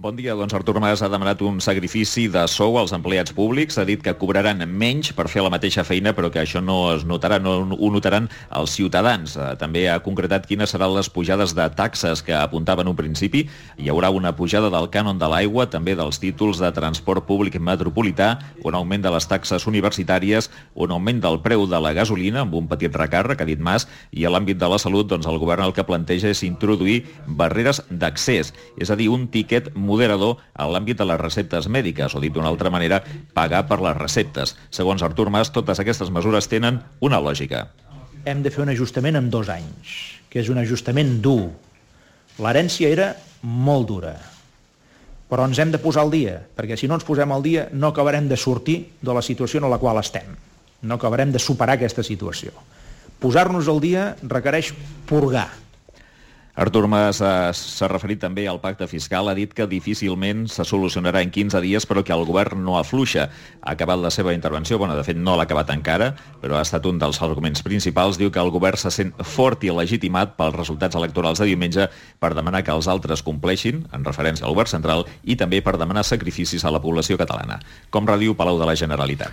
Bon dia. Doncs Artur Mas ha demanat un sacrifici de sou als empleats públics. Ha dit que cobraran menys per fer la mateixa feina, però que això no es notarà, no ho notaran els ciutadans. També ha concretat quines seran les pujades de taxes que apuntava en un principi. Hi haurà una pujada del cànon de l'aigua, també dels títols de transport públic metropolità, un augment de les taxes universitàries, un augment del preu de la gasolina, amb un petit recàrrec, ha dit Mas, i a l'àmbit de la salut, doncs el govern el que planteja és introduir barreres d'accés, és a dir, un tiquet moderador a l'àmbit de les receptes mèdiques, o dit d'una altra manera, pagar per les receptes. Segons Artur Mas, totes aquestes mesures tenen una lògica. Hem de fer un ajustament en 2 anys, que és un ajustament dur. L'herència era molt dura, però ens hem de posar al dia, perquè si no ens posem al dia no acabarem de sortir de la situació en la qual estem. No acabarem de superar aquesta situació. Posar-nos al dia requereix purgar. Artur Mas s'ha referit també al pacte fiscal, ha dit que difícilment se solucionarà en 15 dies, però que el govern no afluixa. Ha acabat la seva intervenció, de fet no l'ha acabat encara, però ha estat un dels arguments principals. Diu que el govern se sent fort i legitimat pels resultats electorals de diumenge per demanar que els altres compleixin, en referència al govern central, i també per demanar sacrificis a la població catalana. Com radiu Palau de la Generalitat.